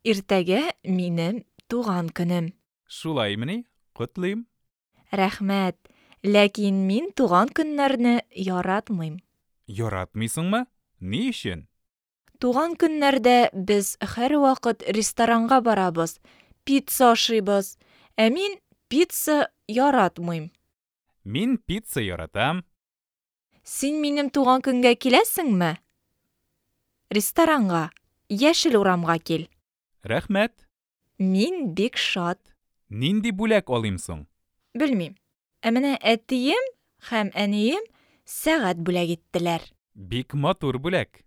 Иртәгә минем туган көнем. Шулаймыни? Котлыйм. Рәхмәт. Ләкин мин туган көннәрне яратмыйм. Яратмыйсыңмы? Ни өчен? Туган көннәрдә без һәрвакыт ресторанга барабыз, пицца ашыйбыз. Ә мин пицца яратмыйм. Мин пицца яратам. Син минем туган көнгә киләсеңме? Ресторанга, Яшел урамга кил. Рәхмәт. Мин бик шат. Нинди бүләк алыйм соң? Белмим. Ә менә әтием һәм әнием сәгать бүләк иттеләр. Бик матур бүләк.